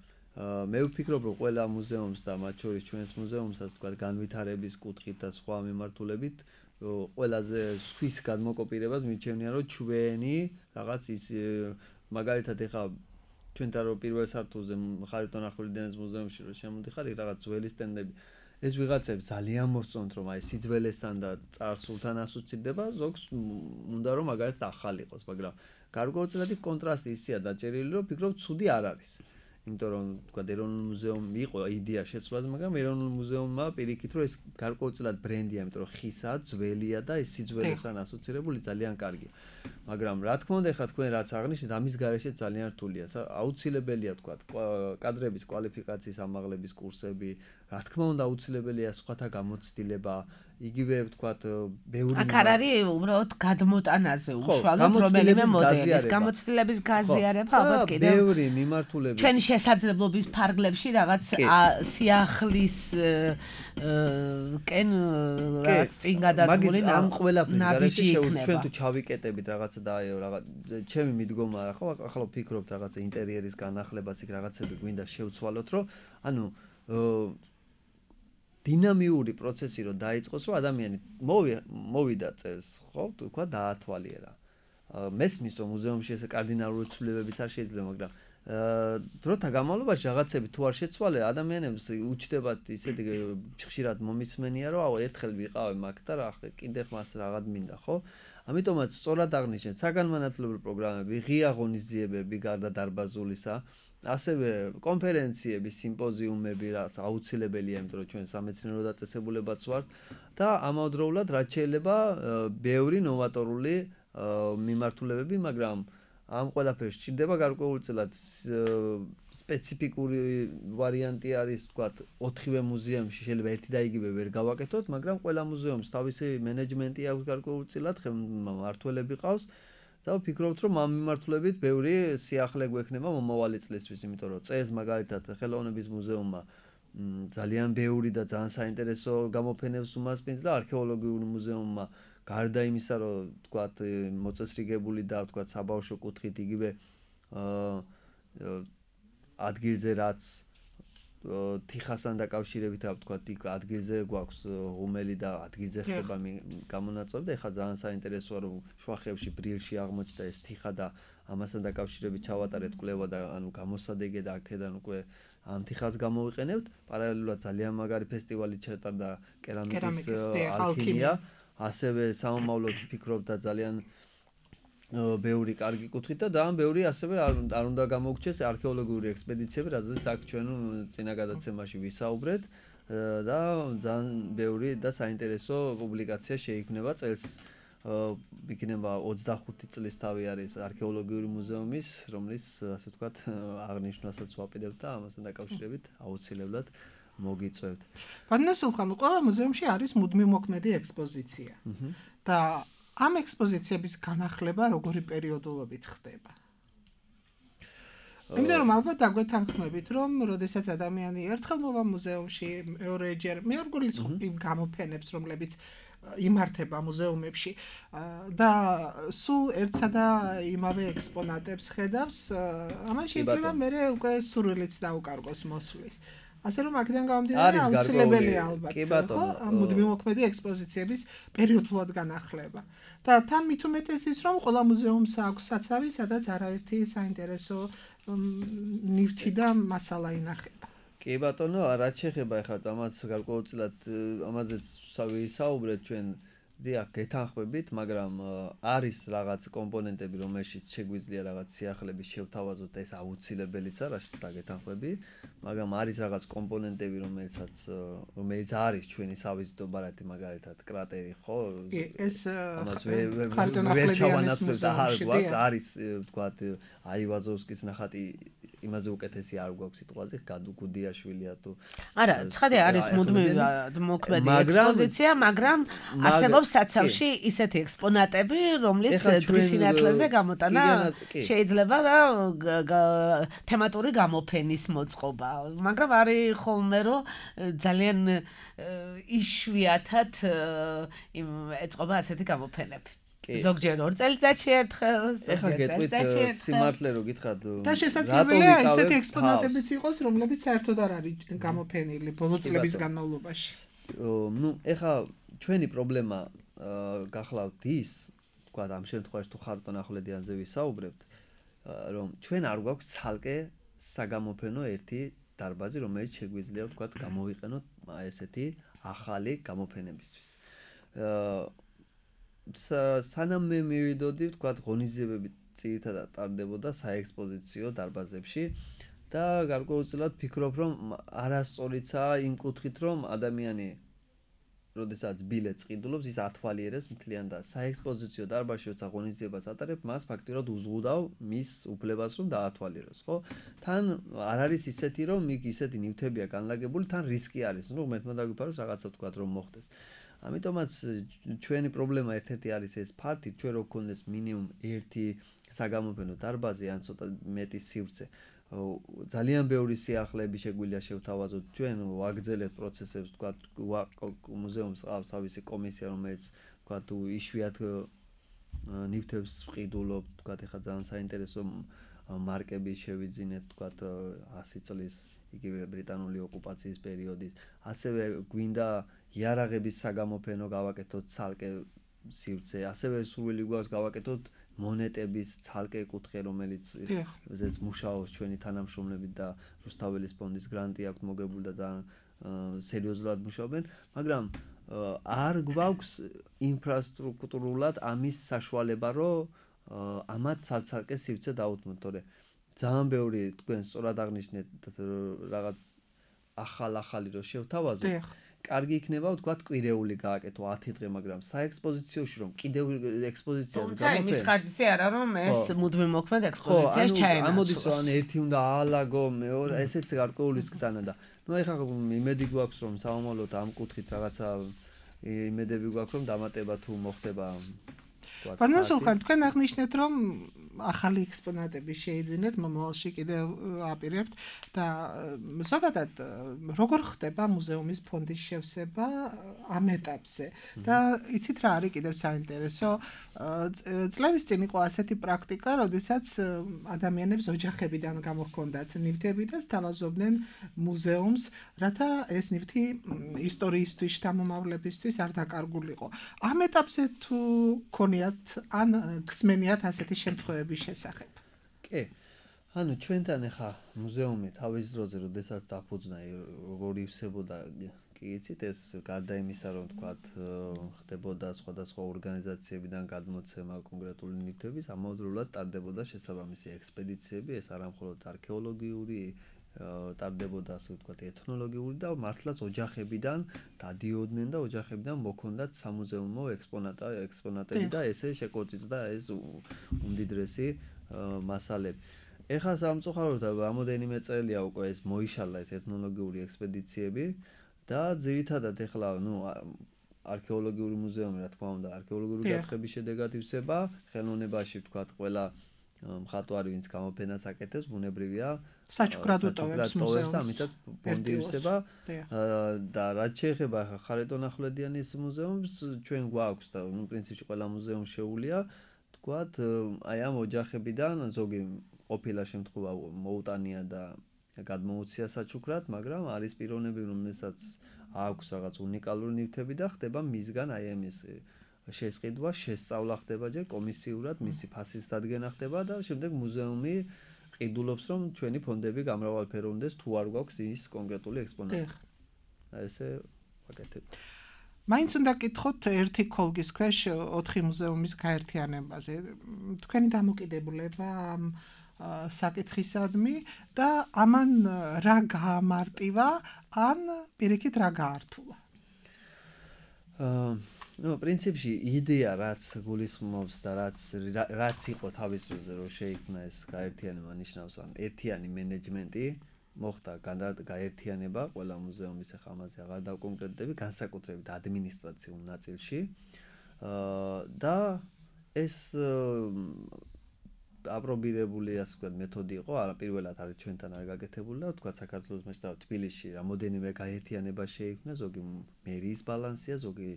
მე ვფიქრობ რომ ყველა მუზეუმს და მათ შორის ჩვენს მუზეუმსაც თქვა განვითარების კუთხით და სხვა მიმართულებით ყველაზე სხვის გადმოკოპირებას მიჩვენია რომ ჩვენი რაღაც ის მაგალითად ეხა ჩვენთან რო პირველ სართულზე ხარიტონ ახვლედიანის მუზეუმში რო შემოდიხარ იქ რაღაც ძველი სტენდები ეს ვიღაცებს ძალიან მოსწონთ რომ აი სიძველესთან და წარსულთან ასოცირდება, ზოგს უნდა რომ მაგალითად ახალი იყოს, მაგრამ გარკვეულწილადი კონტრასტი ისეა დაჭერილი რომ ფიქრობ ცუდი არ არის. იმიტომ რომ თქვა ეროვნულ მუზეუმი იყო იდეა შეცვლაზე, მაგრამ ეროვნულ მუზეუმმა პირიქით რომ ეს გარკვეულწილად ბრენდია, იმიტომ რომ ხისაა, ძველია და ეს სიძველესთან ასოცირებული ძალიან კარგია. მაგრამ რა თქმა უნდა, ეხლა თქვენ რაც აღნიშნეთ, ამის გარეშე ძალიან რთულია. აუცილებელია თქვა კადრების კვალიფიკაციის ამაღლების კურსები, რა თქმა უნდა აუცილებელია სხვათა გამოცდილება, იგივე ვთქვათ, ბევრი აქ არ არის უბრალოდ გადმოტანაზე უშუალოდ რომელიმე მოდელის გამოცდილების გაზიარება ალბათ კიდევ ბევრი მიმართულებით ჩვენი შესაძლებლობის ფარგლებში რაღაც სიახლის კენ რაღაც წინ გადადგმული ამ ყველაფრის გარეშე შეუძლია ჩვენ თუ ჩავიკეტებით რაღაცა და რაღაც ჩემი მიდგომა ხო ახლა ვფიქრობთ რაღაცა ინტერიერის განახლებას იქ რაღაცები გვინდა შევცვალოთ რომ ანუ დინამიური პროცესი რო დაიწყოს, რომ ადამიანი მოვიდა წელს, ხო, თქვა დაათვალიერა. მესმის რომ მუზეუმში ესე კარდინალური ცვლილებებიც არ შეიძლება, მაგრამ დროთა განმავლობაში რაღაცები თუ არ შეცვალე, ადამიანებს უჩნდებათ ისეთი ხშირად მომისმენია, რომ აუ ერთხელ ვიყავე მაგ და რა კიდე მას რაღაც მინდა, ხო? ამიტომაც სწორად აღნიშნეთ, საგანმანათლებლო პროგრამები, ღია ღონისძიებები გარდა დარბაზულისა ასევე კონფერენციები, სიმპოზიუმები, რაც აუცილებელია, იმიტომ რომ ჩვენ სამეცნიერო დაწესებულებაც ვართ და ამავდროულად რაც შეიძლება ბევრი ნოვატორული მიმართულებები, მაგრამ ამ ყველაფერს სჭირდება გარკვეულწილად სპეციფიკური ვარიანტი არის, ვთქვათ, ოთხივე მუზეუმში შეიძლება ერთი და იგივე ვერ გავაკეთოთ, მაგრამ ყველა მუზეუმს თავისი მენეჯმენტი აქვს გარკვეულწილად, მმართველები ყავს. და ვფიქრობთ რომ ამ მიმართულებით ბევრი სიახლე გვექნება მომავალი წლისთვის, იმიტომ რომ წელს მაგალითად ხელოვნების მუზეუმმა ძალიან ბევრი და ძალიან საინტერესო გამოფენებს უმასპინძლა და არქეოლოგიური მუზეუმმა გარდა იმისა, რომ თქვათ მოწესრიგებული და თქვათ საბავშვო კუთხით იგივე ადგილზე რაც თიხასთან დაკავშირებით ვთქვათ, იქ ადგილზე გვაქვს ღუმელი და ადგილზე ხდება გამონაწილეობა და ეხლა ძალიან საინტერესოა რომ შუახევში ბრილში აღმოჩნდა ეს თიხა და ამასთან დაკავშირებით ჩავატარეთ კვლევა და ანუ გამოსადეგე და აქედან უკვე ამ თიხას გამოვიყენებთ. პარალელურად ძალიან მაგარი ფესტივალი ჩატარდა კერამიკის ალქიმია, ასევე სამომავლოდ ვფიქრობ და ძალიან ბევრი კარგი კუთხით და ძალიან ბევრი ასევე არ უნდა გამოგჩეს არქეოლოგიური ექსპედიციები, რაზეც აქ ჩვენ წინა გადაცემაში ვისაუბრეთ და ძალიან ბევრი და საინტერესო პუბლიკაცია შეიქმნება წელს იქნება ოცდახუთი წლის თავი არის არქეოლოგიური მუზეუმის, რომლის ასე ვთქვათ აღნიშვნასაც ვაპირებთ და ამასთან დაკავშირებით აუცილებლად მოგიწევთ. ბანასულხან ყველა მუზეუმში არის მუდმივმოქმედი ექსპოზიცია და ამ ექსპოზიციების განახლება როგორი პერიოდულობით ხდება? იმიტომ რომ ალბათ დაგვეთანხმებით, რომ როდესაც ადამიანი ერთხელ მოვა მუზეუმში, მეორეჯერ მე არ გულის იმ გამოფენებს, რომლებიც იმართება მუზეუმებში და სულ ერთსა და იმავე ექსპონატებს ხედავს, ამან შეიძლება მერე უკვე სურვილიც დაუკარგოს მოსვლის. ასე რომ აქედან გამომდინარე აუცილებელია ალბათ ხო ამ მუდმივმოქმედი ექსპოზიციების პერიოდულად განახლება და თან მით უმეტეს ის რომ ყველა მუზეუმს აქვს საცავი, სადაც არაერთი საინტერესო ნივთი და მასალა ინახება. კი ბატონო, რაც შეეხება ახლა ამას გარკვეულწილად ამაზეც ვისაუბრეთ ჩვენ დიახ გეთანხმებით, მაგრამ არის რაღაც კომპონენტები, რომელშიც შეგვიძლია რაღაც სიახლეების შევთავაზოთ, ეს აუცილებელიც არა, რაშიც დაგეთანხმები, მაგრამ არის რაღაც კომპონენტები, რომელსაც რომელიც არის ჩვენი სავიზიტო ბარათი, მაგალითად კრატერი, ხო? ეს ამას ვერ შევანაცვლებ და არ გვაქვს, არის ვთქვათ აივაზოვსკის ნახატი იმაზე უკეთესი არ გვაქვს სიტყვაზე, გადუგუდიაშვილია თუ არა, ცხადია არის მუდმივმოქმედი ექსპოზიცია, მაგრამ არსებობს საცავში ისეთი ექსპონატები, რომლის დღის სინათლეზე გამოტანა შეიძლება და თემატური გამოფენის მოწყობა, მაგრამ არის ხოლმე რომ ძალიან იშვიათად ეწყობა ასეთი გამოფენები. ზოგჯერ ორ წელიწადში ერთხელ, ზოგჯერ წელიწადში ერთხელ. სიმართლე რო გითხრათ, და შესაძლებელია ესეთი ექსპონატებიც იყოს, რომლებიც საერთოდ არ არის გამოფენილი ბოლო წლების განმავლობაში. ნუ ეხლა ჩვენი პრობლემა გახლავთ ის, თქვა ამ შემთხვევაში თუ ხარტონ ახვლედიანზე ვისაუბრებთ, რომ ჩვენ არ გვაქვს ცალკე საგამოფენო ერთი დარბაზი, რომელიც შეგვიძლია თქვა გამოვიყენოთ ესეთი ახალი გამოფენებისთვის. სანამ მე მივიდოდი, ვთქვათ, ღონისძიებები ძირითადად ტარდებოდა საექსპოზიციო დარბაზებში და გარკვეულწილად ფიქრობ, რომ არასწორიცაა იმ კუთხით, რომ ადამიანი როდესაც ბილეთს ყიდულობს, ის ათვალიერებს მთლიან და საექსპოზიციო დარბაზში როცა ღონისძიებას ატარებ, მას ფაქტიურად უზღუდავ მის უფლებას, რომ დაათვალიეროს, ხო? თან არ არის ისეთი, რომ იქ ისეთი ნივთებია განლაგებული, თან რისკი არის, ნუ ღმერთმა დაგვიფაროს რაღაცა თქვა რომ მოხდეს. ამიტომაც ჩვენი პრობლემა ერთ-ერთი არის ეს ფაქტი, ჩვენ რო გქონდეს მინიმუმ ერთი საგამოფენო დარბაზი ან ცოტა მეტი სივრცე. ძალიან ბევრი სიახლეები შეგვიძლია შევთავაზოთ ჩვენ ვაგრძელებთ პროცესებს თქვა მუზეუმს ყავს თავისი კომისია რომელიც თქვა თუ იშვიათ ნივთებს ვყიდულობთ თქვა ეხლა ძალიან საინტერესო მარკები შევიძინეთ თქვა ასი წლის იგივე ბრიტანული ოკუპაციის პერიოდის ასევე გვინდა იარაღების საგამოფენო გავაკეთოთ ცალკე სივრცე ასევე სურვილი გვაქვს გავაკეთოთ მონეტების ცალკე კუთხე რომელიც ზეც მუშაობს ჩვენი თანამშრომლები და რუსთაველის ფონდის გრანტი აქვს მოგებული და ძალიან სერიოზულად მუშაობენ მაგრამ არ გვაქვს ინფრასტრუქტურულად ამის საშუალება რომ ამათ ცალ-ცალკე სივრცე დაუთმოთ თორე ძალიან ბევრი თქვენ სწორად აღნიშნეთ რაღაც ახალ-ახალი რო შევთავაზოთ კარგი იქნება ვთქვათ კვირეული გააკეთო ათი დღე მაგრამ საექსპოზიციოში რომ კიდევ ექსპოზიციას გამოფენ თუმცა იმის ხარჯზე არა რომ ეს მუდმივ მოქმედ ექსპოზიციას ჩაენაცვლოს ამოდის რომ ერთი უნდა აალაგო მეორე ესეც გარკვეული სკდანა და ნუ ეხლა იმედი გვაქვს რომ საომალოდ ამ კუთხით რაღაცა იმედები გვაქვს რომ დამატება თუ მოხდება Până Sulhan, თქვენ აღნიშნეთ რომ ახალი ექსპონატები შეიძინეთ მომავალში კიდევ აპირებთ და ზოგადად როგორ ხდება მუზეუმის ფონდის შევსება ამ ეტაპზე და იცით რა არის კიდევ საინტერესო წლების წინ იყო ასეთი პრაქტიკა, როდესაც ადამიანებს ოჯახებიდან გამოჰქონდათ ნივთები და სთავაზობდნენ მუზეუმს, რათა ეს ნივთი ისტორიისთვის, შთამომავლებისთვის არ დაკარგულიყო. ამ ეტაპზე თუ ქონიათ ან გსმენიათ ასეთი შემთხვევების შესახებ. კი. ანუ ჩვენთან ახლა მუზეუმი თავის დროზე როდესაც დაფუძნა როგორ ივსებოდა კი იცით ეს გარდა იმისა რომ თქვათ ხდებოდა სხვადასხვა ორგანიზაციებიდან გადმოცემა კონკრეტული ნივთების ამავდროულად ტარდებოდა შესაბამისი ექსპედიციები ეს არა მხოლოდ არქეოლოგიური ტარდებოდა ასე ვთქვათ ეთნოლოგიური და მართლაც ოჯახებიდან დადიოდნენ და ოჯახებიდან მოქონდათ სამუზეუმო ექსპონატა ექსპონატები და ესე შეკოწიწდა ეს უმდიდრესი მასალები. ეხლა სამწუხაროდ რამოდენიმე წელია უკვე ეს მოიშალა ეს ეთნოლოგიური ექსპედიციები და ძირითადად ეხლა ნუ არქეოლოგიური მუზეუმი რა თქმა უნდა არქეოლოგიური გათხრების შედეგად ივსება ხელოვნებაში ვთქვათ ყველა მხატვარი ვინც გამოფენას აკეთებს ბუნებრივია საჩუქრად უტოვებს მუზეუმს ამიტაც ფონდი ივსება და რაც შეეხება ხარეტონახვლედიანის მუზეუმს ჩვენ გვაქვს და ნუ პრინციპში ყველა მუზეუმი შეუულია ვთქვათ აი ამ ოჯახებიდან ზოგი ყოფილა შემთხვევა მოუტანია და გადმოუცია საჩუქრად მაგრამ არის პიროვნები რომელსაც აქვს რაღაც უნიკალური ნივთები და ხდება მისგან აი ამის შესყიდვა, შესწავლა ხდება ჯერ კომისიურად, მისი ფასის დადგენა ხდება და შემდეგ მუზეუმი ყიდულობს რომ ჩვენი ფონდები გამრავალფეროვნდეს თუ არ გვაქვს ის კონკრეტული ექსპონატი. ესე ვაკეთებთ. მაინც უნდა გკითხოთ ერთი ქოლგის ქვეშ ოთხი მუზეუმის გაერთიანებაზე. თქვენი დამოკიდებულება ამ საკითხისადმი და ამან რა გაამარტივა ან პირიქით რა გაართულა? აა ნუ პრინციპში იდეა რაც გულისხმობს და რაც რაც იყო თავის დროზე რომ შეიქმნა ეს გაერთიანება ნიშნავს ან ერთიანი მენეჯმენტი მოხდა გაერთიანება ყველა მუზეუმის ახლა ამაზე აღარ დავკონკრეტდები განსაკუთრებით ადმინისტრაციულ ნაწილში და ეს აპრობირებული ასე ვთქვათ მეთოდი იყო არა პირველად არის ჩვენთან არ გაკეთებული და ვთქვათ საქართველოს მასშტაბით თბილისში რამოდენიმე გაერთიანება შეიქმნა ზოგი მერიის ბალანსია ზოგი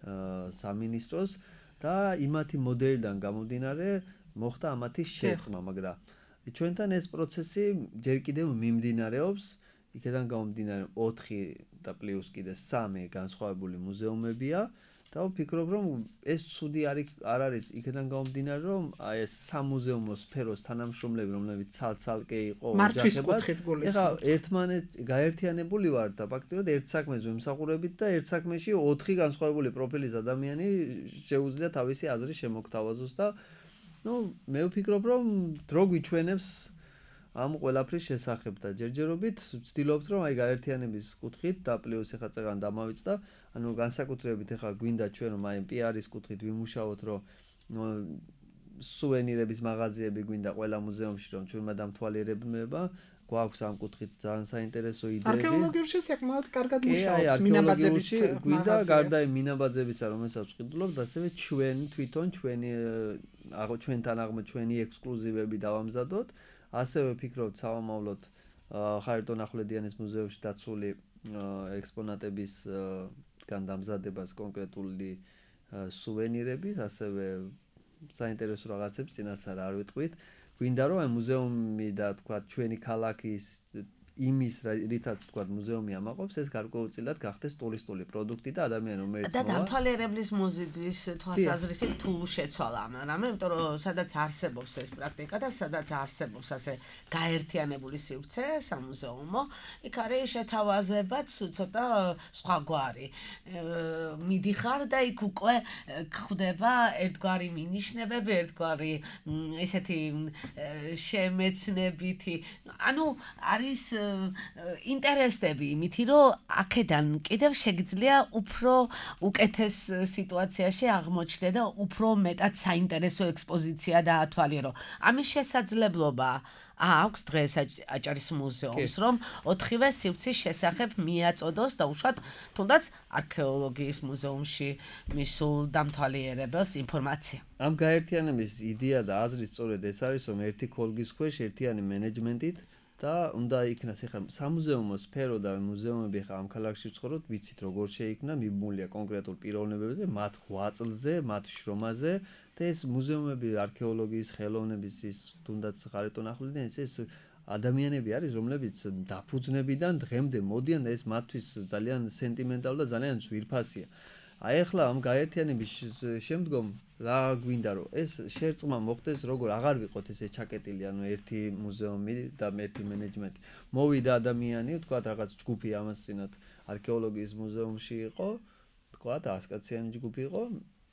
სამინისტროს და იმათი მოდელიდან გამომდინარე მოხდა ამათი შეწყმა, მაგრამ ჩვენთან ეს პროცესი ჯერ კიდევ მიმდინარეობს, იქიდან გამომდინარე ოთხი და პლუს კიდე სამი განსხვავებული მუზეუმებია და ვფიქრობ რომ ეს ცუდი არ არის იქიდან გამომდინარე რომ აი ეს სამუზეუმო სფეროს თანამშრომლები რომლებიც ცალ-ცალკე იყო ოჯახებად ეხლა ერთმანეთ გაერთიანებული ვარ და ფაქტობრივად ერთ საქმეზე ვიმსახურებით და ერთ საქმეში ოთხი განსხვავებული პროფილის ადამიანი შეუძლია თავისი აზრი შემოგთავაზოს და ნუ მე ვფიქრობ რომ დრო გვიჩვენებს ამ ყველაფრის შესახებ და ჯერჯერობით ვცდილობთ რომ აი გაერთიანების კუთხით და პლუს ეხა წეგან დამავიწყდა, ანუ განსაკუთრებით ეხა გვინდა ჩვენ რომ აი პი არის კუთხით ვიმუშაოთ რომ სუვენირების მაღაზიები გვინდა ყველა მუზეუმში რომ ჩვენმა დამთვალიერებმა გვაქვს ამ კუთხით ძალიან საინტერესო იდეები. არქეოლოგიურში საკმაოდ კარგად კი, აი, მუშაობს მინაბაძების არქეოლოგიურში გვინდა მაღაზია. გარდა იმ მინაბაძებისა, რომელსაც ვყიდულობთ, ასევე ჩვენ თვითონ ჩვენი აღო ჩვენთან აღმო ჩვენი ექსკლუზივები დავამზადოთ. ასევე ვფიქრობთ სამომავლოდ ხარიტონ ახვლედიანის მუზეუმში დაცული ექსპონატებისგან დამზადებას კონკრეტული სუვენირების, ასევე საინტერესო რაღაცებს წინასწარ არ ვიტყვით. გვინდა რომ აი მუზეუმი და თქვა ჩვენი ქალაქის იმის რითაც თქვა მუზეუმი ამაყობს ეს გარკვეულწილად გახდეს ტურისტული პროდუქტი და ადამიანი რომელიც და დამთვალიერებლის მოზიდვის თვალსაზრისით თუ შეცვალა ამ რამე, იმიტომ რომ სადაც არსებობს ეს პრაქტიკა და სადაც არსებობს ასე გაერთიანებული სივრცე სამუზეუმო, იქ არის შეთავაზებაც ცოტა სხვაგვარი. მიდიხარ და იქ უკვე ხდება ერთგვარი მინიშნებები, ერთგვარი ესეთი შემეცნებითი, ანუ არის ინტერესები იმითი რომ აქედან კიდევ შეგიძლია უფრო უკეთეს სიტუაციაში აღმოჩნდე და უფრო მეტად საინტერესო ექსპოზიცია დაათვალიერო. ამის შესაძლებლობა აქვს დღეს აჭარის მუზეუმს რომ ოთხივე სივრცის შესახებ მიაწოდოს და უშუალოდ თუნდაც არქეოლოგიის მუზეუმში მისულ დამთვალიერებელს ინფორმაცია. ამ გაერთიანების იდეა და აზრი სწორედ ეს არის რომ ერთი ქოლგის ქვეშ ერთიანი მენეჯმენტით და უნდა იქნას ეხლა სამუზეუმო სფერო და მუზეუმები ხა ამ ქალაქში ვცხოვრობთ, ვიცით როგორ შეიქმნა, მიბმულია კონკრეტულ პიროვნებებზე, მათ ღვაწლზე, მათ შრომაზე და ეს მუზეუმები არქეოლოგიის, ხელოვნების ის თუნდაც ხარიტონ ახვლედიანის ეს ადამიანები არის, რომლებიც დაფუძნებიდან დღემდე მოდიან და ეს მათთვის ძალიან სენტიმენტალური და ძალიან ძვირფასია. აი ახლა ამ გაერთიანების შემდგომ რა გვინდა რომ ეს შერწყმა მოხდეს როგორ აღარ ვიყოთ ესე ჩაკეტილი ანუ ერთი მუზეუმი და ერთი მენეჯმენტი მოვიდა ადამიანი თქვა რაღაც ჯგუფი ამასწინათ არქეოლოგიის მუზეუმში იყო თქვა ასკაციანი ჯგუფი იყო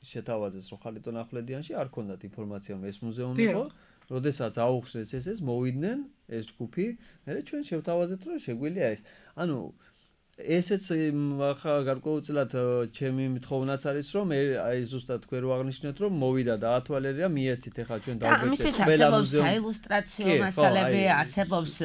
შეთავაზეს რომ ხარიტონ ახვლედიანში არ ქონდათ ინფორმაცია რომ ეს მუზეუმი იყო როდესაც აუხსნეს ეს ეს მოვიდნენ ეს ჯგუფი მე ჩვენ შევთავაზეთ რომ შეგვიძლია ეს ანუ ესეც ახლა გარკვეულწილად ჩემი მითხოვნაც არის რომ აი ზუსტად თქვენ რო აღნიშნეთ რომ მოვიდა და ათვალერია მიეცით ახლა ჩვენ დავგვეცეთ ყველა მუზეუმი საილუსტრაციო მასალები არსებობს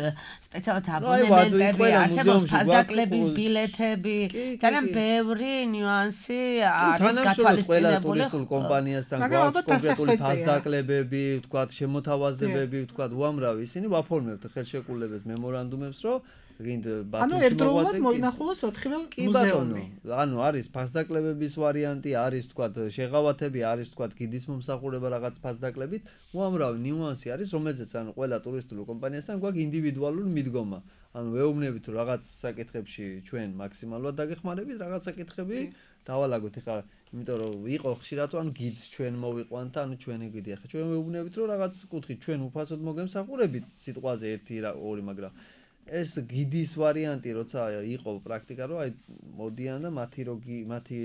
სპეციალურად აბონემენტები არსებობს ფასდაკლების ბილეთები ძალიან ბევრი ნიუანსი არის გათვალისწინებული ტურისტულ კომპანიასთან გვაქვს კონკრეტული ფასდაკლებები ვთქვათ შემოთავაზებები ვთქვათ უამრავი ისინი ვაფორმებთ ხელშეკრულებებს მემორანდუმებს რომ ანუ ერთდროულად მოინახულოს ოთხივე მუზეუმი. ანუ არის ფასდაკლებების ვარიანტი, არის თქვათ შეღავათები, არის თქვათ გიდის მომსახურება რაღაც ფასდაკლებით, უამრავი ნიუანსი არის, რომელზეც ანუ ყველა ტურისტული კომპანიასთან გვაქვს ინდივიდუალური მიდგომა. ანუ ვეუბნებით რომ რაღაც საკითხებში ჩვენ მაქსიმალურად დაგეხმარებით, რაღაც საკითხები დავალაგოთ. ეხლა იმიტომ რომ იყო ხშირად ანუ გიდს ჩვენ მოვიყვანთ, ანუ ჩვენი გიდი. ეხლა ჩვენ ვეუბნებით რომ რაღაც კუთხით ჩვენ უფასოდ მოგემსახურებით სიტყვაზე ერთი ორი, მაგრამ ეს გიდის ვარიანტი როცა იყო პრაქტიკა რომ აი მოდიან და მათი როგი მათი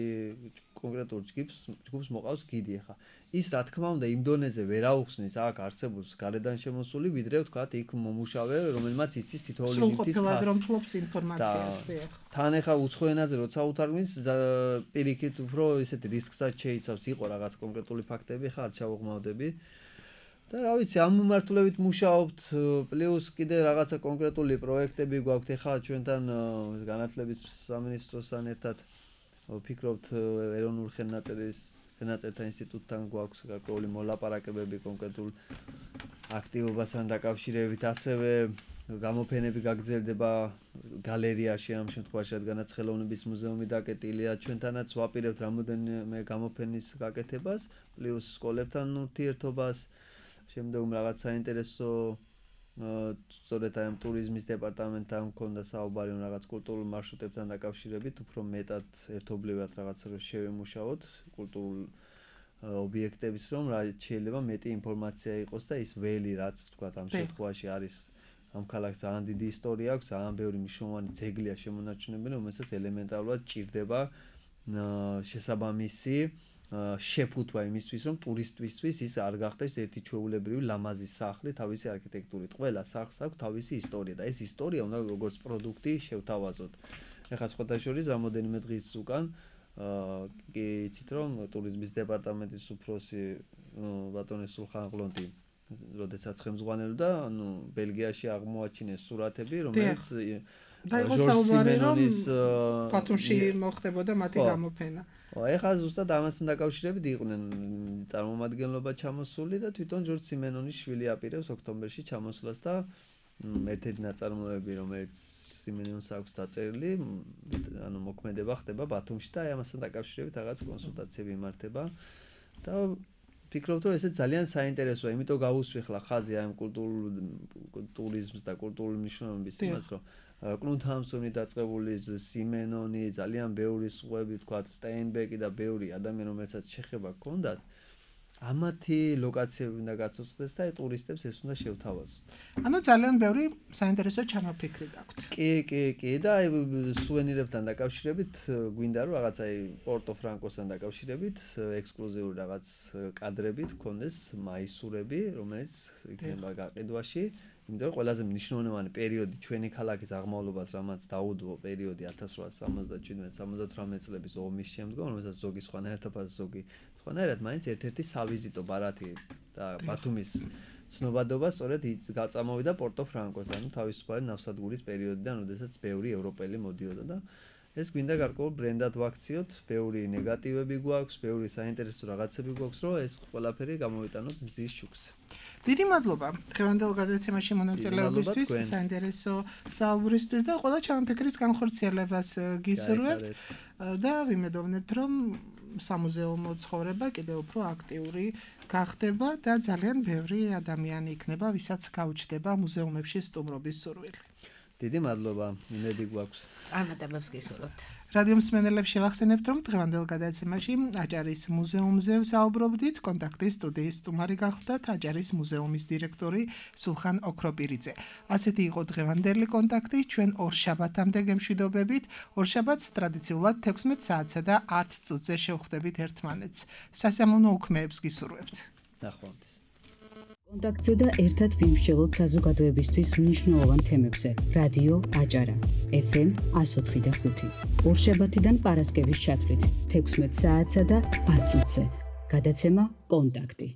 კონკრეტულ ჯგუფს ჯგუფს მოყავს გიდი ახლა ის რა თქმა უნდა იმ დონეზე ვერ აუხსნის აქ არსებულს გარედან შემოსული ვიდრე ვთქვათ იქ მომუშავე რომელმაც იცის თითოეული ნივთის ფასს რომ ფლობს ინფორმაციას დიახ თან ახლა უცხო ენაზე როცა უთარგმნის პირიქით უფრო ისეთი რისკსაც შეიცავს იყო რაღაც კონკრეტული ფაქტები ხა არ ჩავუღმავდები და რა ვიცი ამ მიმართულებით მუშაობთ პლუს კიდე რაღაცა კონკრეტული პროექტები გვაქვთ ახლა ჩვენთან განათლების სამინისტროსთან ერთად ვფიქრობთ ეროვნულ ხელნაწერის ხელნაწერთა ინსტიტუტთან გვაქვს გარკვეული მოლაპარაკებები კონკრეტულ აქტივობასთან დაკავშირებით ასევე გამოფენები გაგრძელდება გალერეაში ამ შემთხვევაში რადგანაც ხელოვნების მუზეუმი დაკეტილია ჩვენთანაც ვაპირებთ რამოდენიმე გამოფენის გაკეთებას პლუს სკოლებთან ურთიერთობას შემდგომ რაღაც საინტერესო სწორედ აი ამ ტურიზმის დეპარტამენტთან მქონდა საუბარი რომ რაღაც კულტურულ მარშრუტებთან დაკავშირებით უფრო მეტად ერთობლივად რაღაც რო შევემუშაოთ კულტურულ ობიექტების რომ რა შეიძლება მეტი ინფორმაცია იყოს და ის ველი რაც თქვა ამ შემთხვევაში არის ამ ქალაქს ძალიან დიდი ისტორია აქვს ძალიან ბევრი მნიშვნელოვანი ძეგლია შემონარჩუნებელი რომელსაც ელემენტარულად ჭირდება შესაბამისი შეფუთვა იმისთვის, რომ ტურისტისთვის ის არ გახდეს ერთი ჩვეულებრივი ლამაზი სახლი თავისი არქიტექტურით. ყველა სახლს აქვს თავისი ისტორია და ეს ისტორია უნდა როგორც პროდუქტი შევთავაზოთ. ეხლა სხვადასხვა რამოდენიმე დღის უკან კი იცით რომ ტურიზმის დეპარტამენტის უფროსი ბატონი სულხან ყლონტი როდესაც ხელმძღვანელობდა, ანუ ბელგიაში აღმოაჩინეს სურათები, რომელიც და იყო საუბარი რომ ბათუმში მოხდებოდა მათი გამოფენა. ეხლა ზუსტად ამასთან დაკავშირებით იყვნენ წარმომადგენლობა ჩამოსული და თვითონ ჯორჯ სიმენონის შვილი აპირებს ოქტომბერში ჩამოსვლას და ერთ-ერთი ნაწარმოები, რომელიც სიმენონს აქვს დაწერილი, ანუ მოქმედება ხდება ბათუმში და ამასთან დაკავშირებით რაღაც კონსულტაციები იმართება და ფიქრობ რომ ესე ძალიან საინტერესოა, იმიტომ გავუსვიხლა ხაზი ამ კულტურულ ტურიზმს და კულტურული მნიშვნელობის იმას, რომ კლუნთამსონი დაწყებული სიმენონი, ძალიან ბევრი სხვები, თქვა სტეინბეკი და ბევრი ადამიანი, რომელსაც შეხება ჰქონდათ, ამათი ლოკაციები უნდა გაცოცხლდეს და ტურისტებს ეს უნდა შევთავაზოთ. ანუ ძალიან ბევრი საინტერესო ჩანაფიქრი გაქვთ. კი, კი, კი და აი სუვენირებთან დაკავშირებით გვინდა რომ რაღაც აი პორტო ფრანკოსთან დაკავშირებით ექსკლუზიური რაღაც კადრები გქონდეს მაისურები, რომელიც იქნება გაყიდვაში. იმიტომ რომ ყველაზე მნიშვნელოვანი პერიოდი ჩვენი ქალაქის აღმავლობას, რამაც დაუდო პერიოდი ათას რვაასი სამოცდაჩვიდმეტ სამოცდათვრამეტ წლების ომის შემდგომ, რომელსაც ზოგი სხვანაირად, ზოგი სხვანაირად, მაინც ერთ-ერთი სავიზიტო ბარათი და ბათუმის ცნობადობა სწორედ გაწამოვიდა პორტო ფრანკოსთან, ანუ თავისუფალი ნავსადგურის პერიოდიდან, როდესაც ბევრი ევროპელი მოდიოდა და ეს გვინდა გარკვეულ ბრენდად ვაქციოთ, ბევრი ნეგატივები გვაქვს, ბევრი საინტერესო რაღაცები გვაქვს, რომ ეს ყველაფერი გამოვიტანოთ მზის შუქზე. დიდი მადლობა დღევანდელ გადაცემაში მონაწილეობისთვის, საინტერესო საუბრისთვის და ყველა ჩანაფიქრის განხორციელებას გისურვებთ და ვიმედოვნებთ, რომ სამუზეუმო ცხოვრება კიდევ უფრო აქტიური გახდება და ძალიან ბევრი ადამიანი იქნება, ვისაც გაუჩნდება მუზეუმებში სტუმრობის სურვილი. დიდი მადლობა, იმედი გვაქვს. წარმატებებს გისურვებთ. რადიო მსმენელებს შევახსენებთ, რომ დღევანდელ გადაცემაში აჭარის მუზეუმზე ვსაუბრობდით, კონტაქტის სტუდიის სტუმარი გახლდათ აჭარის მუზეუმის დირექტორი სულხან ოქროპირიძე. ასეთი იყო დღევანდელი კონტაქტი, ჩვენ ორშაბათამდე გემშვიდობებით, ორშაბათს ტრადიციულად თექვსმეტ საათსა და ათ წუთზე შევხვდებით ერთმანეთს. სასიამოვნო უქმეებს გისურვებთ. ნახვამდის. კონტაქტზე და ერთად ვიმსჯელოთ საზოგადოებისთვის მნიშვნელოვან თემებზე. რადიო აჭარა ეფ ემ εκατო ოთხი და ხუთი. ორშაბათიდან პარასკევის ჩათვლით თექვსმეტ საათსა და ათ წუთზე. გადაცემა კონტაქტი.